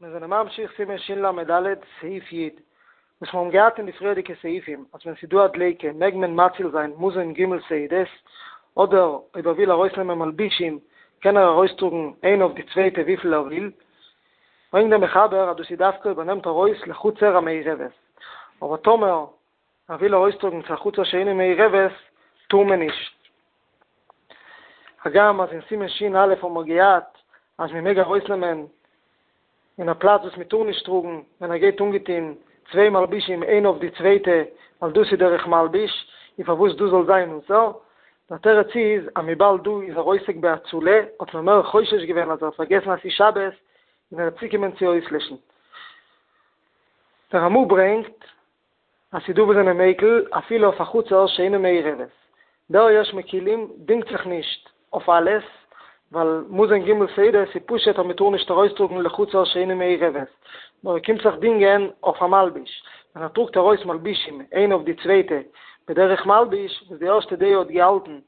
מיר זענען ממשיך סימן של"ד, סעיף י', וואס מיר האבן געהאט אין די פריערדיגע סעיפים, אז ווען ס'איז דא א דליקה מעג מען מציל זיין מזון ג' סעודות, אדער אויב ער וויל ארויסנעמען מלבישים קען ער ארויסטראגן איינע אויף די צווייטע וויפיל ער וויל, ברענגט דער מחבר אז דאס איז דווקא אויב ער נעמט ארויס לחצר המעורבת, אבער טאמער ער וויל ארויסטראגן צו א חצר שאינה מעורבת טאר מען נישט. הגם אז אין סימן ש"א האבן מיר געהאט אז מען מעג ארויסנעמען אין א פלאץ וואס מען טאר נישט טראגן ווען ער גייט אנגעטון צוויי מלבישים איינע אויף די צווייטע ווייל דאס איז דרך מלביש, און פארוואס דאס זאל זיין אסור? דער תירוץ איז אז וויבאלד דא איז ער עוסק בהצלה האט מען מער חושש געווען אז ער האט פארגעסן אז ס'איז שבת און ער וועט צוקומען צו אויסלעשן. דער רמ"א ברענגט אז ס'דא וואס זענען מיקל אפילו אויף א חצר שאינה מעורבת. דער יש מקילים דינגט זיך נישט אויף אלעס, ווייל מזון ג' סעודות איז פשוט אז מ'טאר נישט ארויסטראגן לחצר שאינה מעורבת, נאר ער קומט זיך דינגען אויף א מלביש, ווען ער טראגט ארויס מלבישים איינע אויף די צווייטע בדרך מלביש, וואס די ערשטע דעה האט געהאלטן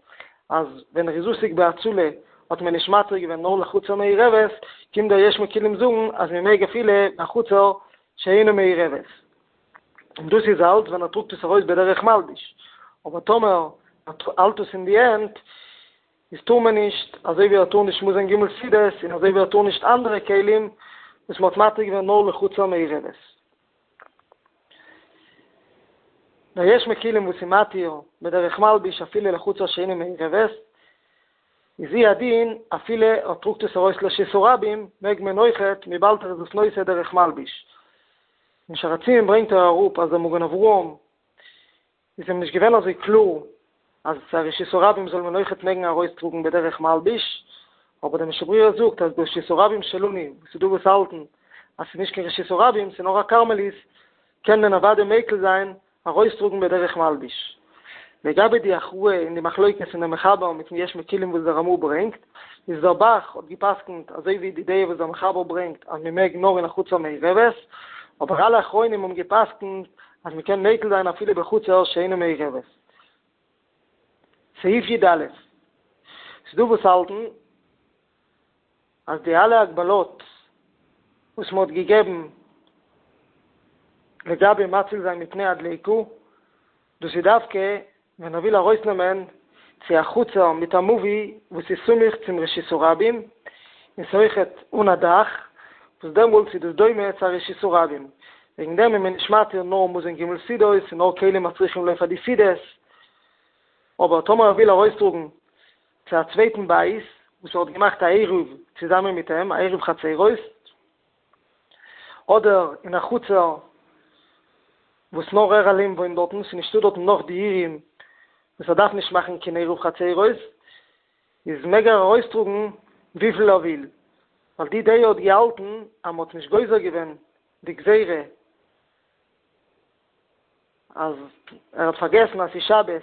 אז ווען ער איז עוסק בהצלה האט מען נישט מתיר געווען נאר לחצר מעורבת, קומט דער יש מקילים זאגן אז מ'מעג אפילו בחצר שאינה מעורבת. און דאס איז אלץ ווען ער טראגט עס ארויס בדרך מלביש, אבער טאמער ער האלט עס אין די הענט איז טאר מען נישט, אזוי ווי ער טאר נישט מזון ג' סעודות און אזוי ווי ער טאר נישט אנדערע כלים וואס מען האט מתיר געווען נאר לחצר מעורבת. דער יש מקילים וואס איז מתיר בדרך מלביש אפילו לחצר שאינה מעורבת, איז הוא הדין אפילו ער טראגט עס ארויס לרשות הרבים מעג מען אויכעט וויבאלד ער איז עס נושא דרך מלביש. אין שער הציון ברענגט ער אראפ אז דער מגן אברהם איז אים נישט געווען אזוי קלאר אז צו א רשות הרבים זאל מען אויכעט מעגן ארויסטראגן בדרך מלביש, אבער דער משנה ברורה זאגט אז ברשות הרבים שלנו וואס ס'איז דא וואס האלטן אז ס'איז נישט קיין רשות הרבים ס'איז נאר א כרמלית קען מען אוודאי מיקל זיין ארויסטראגן בדרך מלביש. לגבי די הכרעה אין די מחלוקת פון דער מחבר מיטן יש מקילים וואס דער רמ"א ברענגט, איז דער ב"ח האט גע'פסק'נט אזוי ווי די דעה וואס דער מחבר ברענגט אז מען מעג נאר אין א חצר מעורבת, אבער אלע אחרונים האבן גע'פסק'נט אז מען קען מיקל זיין אפילו בחצר שאינה מעורבת. סעיף י"א. ס'דא וואס האלטן אז די אלע הגבלות וואס מען האט געגעבן לגבי מציל זיין מפני הדליקה, דאס איז דווקא ווען ער וויל ארויסנעמען צו א חצר מיט א מבוי וואס איז סמוך צום רשות הרבים, און ס'אויכעט אן א דאך, וואס דעמאלטס איז דאס דומה צו א רשות הרבים, וועגן דעם איז מען נישט מתיר נאר מזון ג' סעודות און נאר כלים הצריכים לו פאר די סעודות, אבער טאמער ער וויל ארויסטראגן צו א צווייטן בית וואס ער האט געמאכט א עירוב צוזאמען מיט אים, א עירוב חצרות, אדער אין א חצר וואס נאר ער אליין וואוינט דארטן, ס'איז נישטא דארטן נאך דירים וואס ער דארף נישט מאכן קיין עירוב חצרות, איז מעג ער ארויסטראגן וויפיל ער וויל, ווייל די דעה האט געהאלטן אז מ'האט נישט גוזר געווען די גזירה אז ער האט פארגעסן אז ס'איז שבת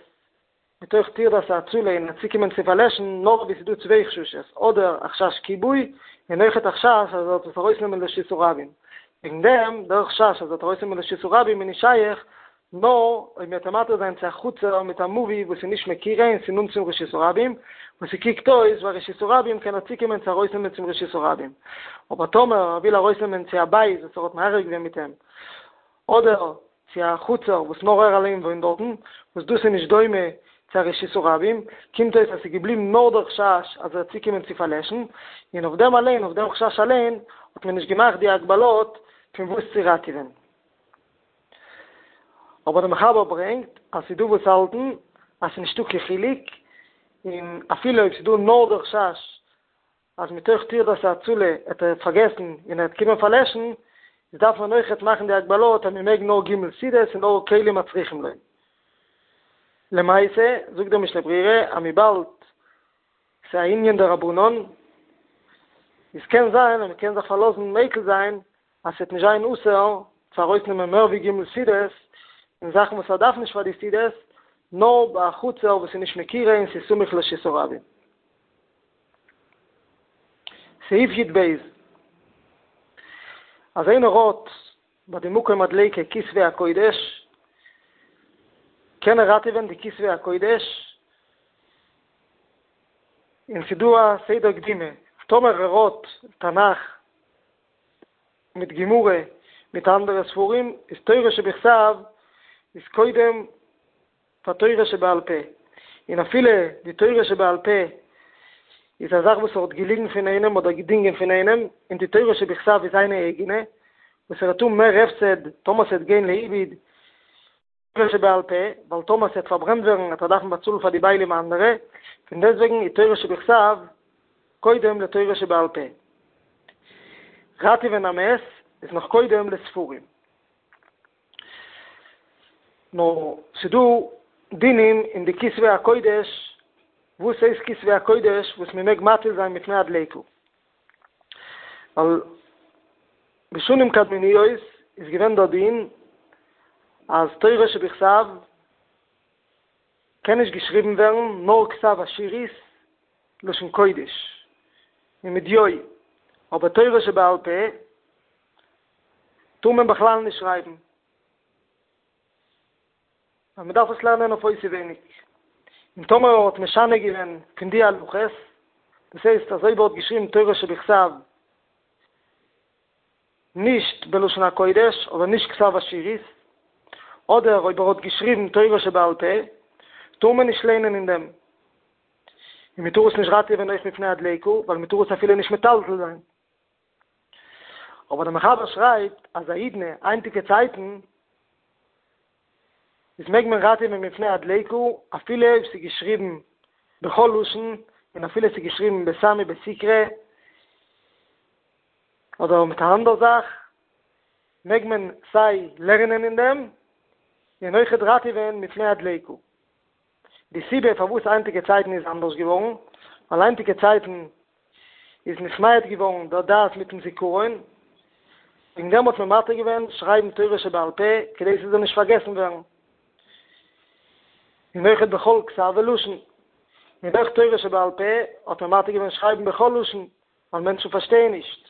מתוך טרדת ההצלה און ער צוקומען צו פארלעשן נאר אויב עס איז דא צוויי חששות, אדער א חשש כיבוי, און אויכעט א חשש אז ער וועט עס ארויסנעמען לרשות הרבים. וועגן דעם, דער חשש אז ער וועט ארויסנעמען לרשות הרבים איז נישט שייך, נאר אויב מ'וועט אים מתיר זיין צו א חצר מיט א מבוי וואס איז נישט מקירה און ס'איז נאנט צום רשות הרבים, וואס ס'קוקט אויס ווי א רשות הרבים קען ער צוקומען צו ארויסנעמען צום רשות הרבים. אבער טאמער ער וויל ארויסנעמען צו א בית וואס ער האט מערב געווען מיט אים, אדער צו א חצר וואס נאר ער אליין וואוינט דארטן, וואס דאס איז נישט דומה צו א רשות הרבים, קומט אויס אז ס'איז געבליבן נאר דער חשש אז ער וועט צוקומען צו פארלעשן, און אויף דעם אליין, אויף דעם חשש אליין, האט מען נישט געמאכט די הגבלות פון וואס צו ראטעווען. אבער דער מחבר ברענגט אז ס'איז דא וואס האלטן אז ס'איז נישטא קיין חילוק, און אפילו אויב ס'איז דא נאר דער חשש אז מתוך טרדת ההצלה האט ער פארגעסן און ער וועט קומען פארלעשן, איז דארף מען אויכעט מאכן די הגבלות אז מען מעג נאר ג' סעודות און נאר כלים הצריכים לו. למעשה זאגט דער משנה ברורה אז וויבאלד ס'איז א ענין דרבנן, איז קען זיין אז מען קען זיך פארלאזן מיקל זיין אז ס'וועט נישט זיין אסור צו ארויסנעמען מער ווי ג' סעודות און זאכן וואס ער דארף נישט פאר די סעודות, נאר ביי א חצר וואס איז נישט מקירה און ס'איז סמוך לרשות הרבים. סעיף י"ב, אז איינער האט ביי די מקום הדליקה כתבי הקודש, קען ער ראטעווען די כתבי הקודש, און ס'דא א סדר קדימה, טאמער ער האט תנך. מיט גמרא מיט אנדערע ספרים, איז תורה שבכתב איז קודם פאר תורה שבעל פה, און אפילו די תורה שבעל פה איז א זאך וואס ער האט געליגן פון איינעם אדער געדינגען פון איינעם, און די תורה שבכתב איז זיינע אייגענע, וואס ער וועט האבן מער הפסד טאמער ס'וועט גיין לאיבוד תורה שבעל פה, ווייל טאמער ס'וועט פארברענט ווערן וועט ער דארפן באצאלן פאר די בעלים אנדערע, פון דעסטוועגן איז תורה שבכתב קודם לתורה שבעל פה. ראטעווען א מת איז נאך קודם לספרים. נאר ס'דא דינים אין די כתבי הקודש, וואס הייסט כתבי הקודש וואס מ'מעג מציל זיין מפני הדליקה? ווייל בשנים קדמוניות איז געווען דער דין אז תורה שבכתב קען נישט געשריבן ווערן נאר כתב אשורית לשון קודש און מיט דיו, אבער תורה שבעל פה טאר מען בכלל נישט שרייבן. ווייל מען דארף עס לערנען אויף אויסעווייניג, און טאמער ער האט משנה געווען פון די הלכות, דאס הייסט אז אויב ער האט געשריבן תורה שבכתב נישט בלשון הקודש אדער נישט כתב אשורית, אדער אויב ער האט געשריבן תורה שבעל פה, טאר מען נישט לערנען אין דעם, און מען טאר עס נישט ראטעווען אויך מפני הדליקה, ווייל מען טאר עס אפילו נישט מטלטל זיין. אבער דער מחבר שרייבט אז האידנא היינטיגע צייטן איז מעג מען ראטעווען מפני הדליקה אפילו אויב ס'איז געשריבן בכל לשון און אפילו ס'איז געשריבן בסמי בסיקרא אדער מיט א אנדער זאך מעג מען סיי לערנען אין דעם און אויכעט ראטעווען מפני הדליקה. די סיבה פארוואס היינטיגע צייטן איז אנדערש געווארן, ווייל היינטיגע צייטן איז נתמעט געווארן דער דעת מיטן זיכרון, וועגן דעם האט מען מתיר געווען שרייבן תורה שבעל פה כדי ס'זאל נישט פארגעסן ווערן, און אויכעט בכל כתב ולשון, און אויך תורה שבעל פה האט מען מתיר געווען שרייבן בכל לשון, ווייל מענטשן פארשטייען נישט,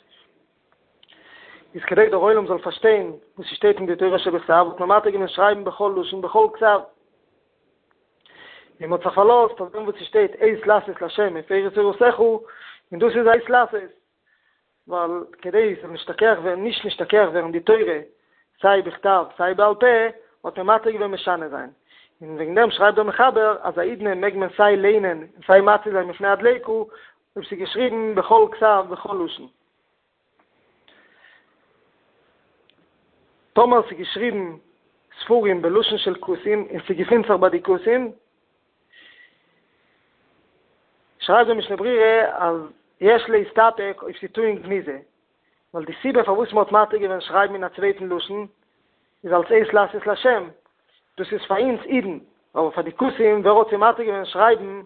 איז כדי דער עולם זאל פארשטיין וואס ס'שטייט אין די תורה שבכתב האט מען מתיר געווען שרייבן בכל לשון בכל כתב. און מ'האט זיך פארלאזט אויף דעם וואס ס'שטייט עת לעשות לה' הפרו תורתך, און דאס איז א עת לעשות, ווייל כדי ס'זאל נשתכח ווערן נישט נשתכח ווערן די תורה סיי בכתב סיי בעל פה, האט מען מתיר געווען משנה זיין, און וועגן דעם שרייבט דער מחבר אז האידנא מעג מען סיי ליינען און סיי מציל זיין מפני הדליקה, אויב ס'איז געשריבן בכל כתב בכל לשון. טאמער ס'איז געשריבן ספרים בלשון של כותים און ס'געפינט זיך ביי די כותים, שרייבט דער משנה ברורה אז יש להסתפק אויב ס'איז טעון גניזה, ווייל די סיבה פארוואס מ'האט מתיר געווען שרייבן אין א צווייטן לשון איז אלס עת לעשות לה', דאס איז פאר אונז אידן, אבער פאר די כותים ווער האט זיי מתיר געווען שרייבן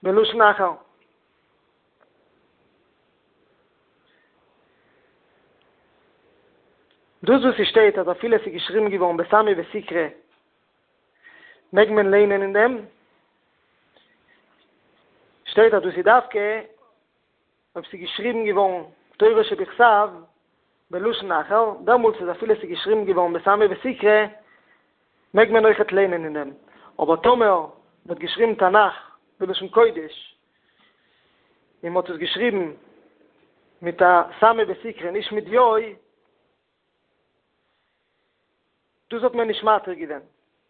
בלשון אחר? דאס וואס ס'שטייט אז אפילו עס איז געשריבן געווארן בסמי וסיקרא מעג מען ליינען אין דעם, שטייט אז דאס איז דווקא אויב ס'איז געשריבן געווארן תורה שבכתב בלשון אחר, דעמאלטס איז אפילו ס'איז געשריבן געווארן בסמי וסיקרא מעג מען אויכעט ליינען אין דעם, אבער טאמער מ'האט געשריבן תנך בלשון קודש און מ'האט עס געשריבן מיט א סמי וסיקרא נישט מיט דיו, דאס האט מען נישט מתיר געווען,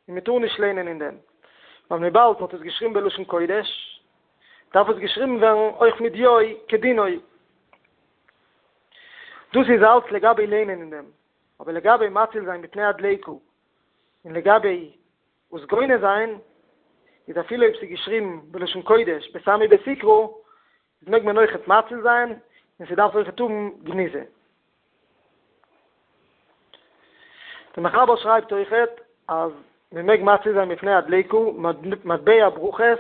און מען טאר נישט לערנען אין דעם, ווייל וויבאלד מ'האט עס געשריבן בלשון קודש, דארף עס געשריבן ווערן אויך מיט דיו כדינו. דאס איז אלץ לגבי לערנען אין דעם, אבער לגבי מציל זיין מפני הדליקה, און לגבי עס גונז זיין, איז אפילו אויב ס'איז געשריבן בלשון קודש בסמי וסיקרא, איז מעג מען אויכעט מציל זיין, און ס'דארף אויכעט האבן גניזה. דער מחבר שרייבט אויכעט אז מען מעג מציל זיין מפני הדליקה מטבע ברכות,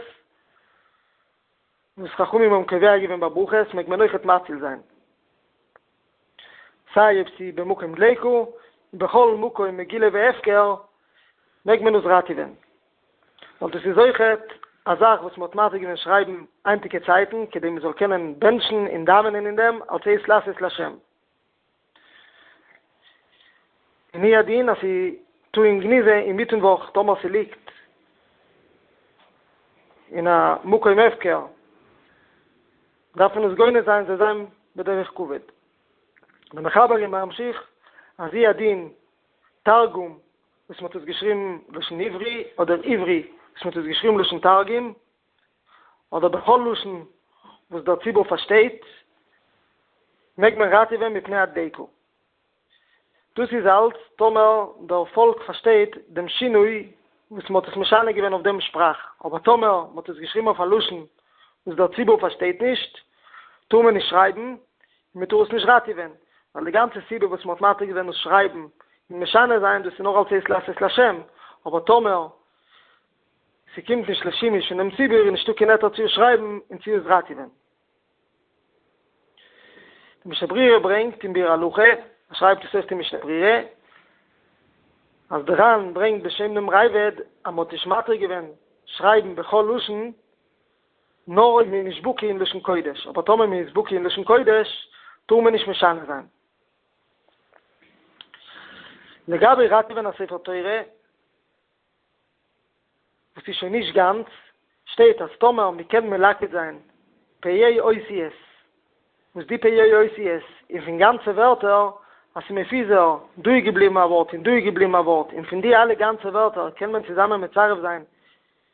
וואס חכמים האבן קובע געווען ביי ברכות מעג מען אויכעט מציל זיין, סיי אויב ס'איז במקום דליקה, און בכל מקום מגולה והפקר מעג מען עס ראטעווען. ווייל דאס איז אויכעט א זאך וואס מ'האט מתיר געווען שרייבן היינטיגע צייטן כדי מ'זאל קענען בענטשן און דאווענען אין דעם אלס עת לעשות לה'. און הוא הדין אז ס'איז טעון גניזה אינמיטן וואך טאמער ס'ליגט אין א מקום הפקר דארף מען עס גונז זיין זאל זיין בדרך כבוד. דער מחבר איז ממשיך אז הוא הדין תרגום וואס מ'האט עס געשריבן לשון עברי אדער עברי וואס מ'האט עס געשריבן לשון תרגום אדער בכל לשון וואס דער ציבור פארשטייט מעג מען ראטעווען מפני הדליקה. דאס איז אלץ טאמער דער פאלק פארשטייט דעם שינוי וואס מ'האט עס משנה געווען אויף דעם שפראך, אבער טאמער מ'האט עס געשריבן אויף א לשון וואס דער ציבור פארשטייט נישט, טאר מען נישט שרייבן, און מ'טאר עס נישט ראטעווען, ווייל די גאנצע סיבה וואס מ'האט מתיר געווען דאס שרייבן און משנה זיין, דאס איז נאר אלץ עת לעשות להשם, אבער טאמער ס'קומט נישט לשימוש פון דעם ציבור איז נישטא קיין היתר צו עס שרייבן און צו עס ראטעווען. די משנה ברורה ברענגט אין ביאור הלכה, ער שרייבט עס אויך אין משנה ברורה, אז די ר"ן ברענגט בשם דעם ראב"ד אז מ'האט נישט מתיר געווען שרייבן בכל לשון נאר אויב מ'איז נישט בקי אין לשון קודש, אבער טאמער מ'איז בקי אין לשון קודש טאר מען נישט משנה זיין. לגבי ראטעווען א ספר תורה, וואס איז שוין נישט גאנץ, שטייט אז טאמער מען קען מלקט זיין פ"ה אותיות, וואס די פ"ה אותיות איז פון גאנצע ווערטער, אז ס'איז מפוזר, דא איז געבליבן א ווארט און דא איז געבליבן א ווארט, און פון די אלע גאנצע ווערטער קען מען צוזאמען מצרף זיין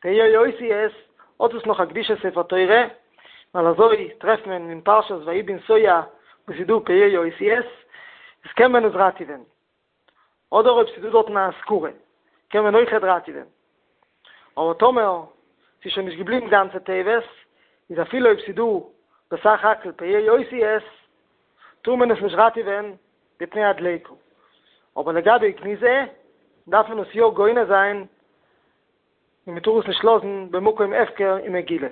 פ"ה אותיות, האט עס נאך א קדושת ספר תורה, ווייל אזוי טרעפט מען אין פרשת ויהי בנסוע וואס איז דא פ"ה אותיות, איז קען מען עס ראטעווען. אדער אויב ס'איז דא דארטן א אזכרה קען מען אויכעט ראטעווען, אבער טאמער ס'איז שוין נישט געבליבן גאנצע תיבות, איז אפילו אויב ס'איז דא בסך הכל פ"ה אותיות, טאר מען עס נישט ראטעווען מפני הדליקה. אבער לגבי גניזה דארף מען עס יא גונז זיין און מ'טאר עס נישט לאזן במקום הפקר ומגולה.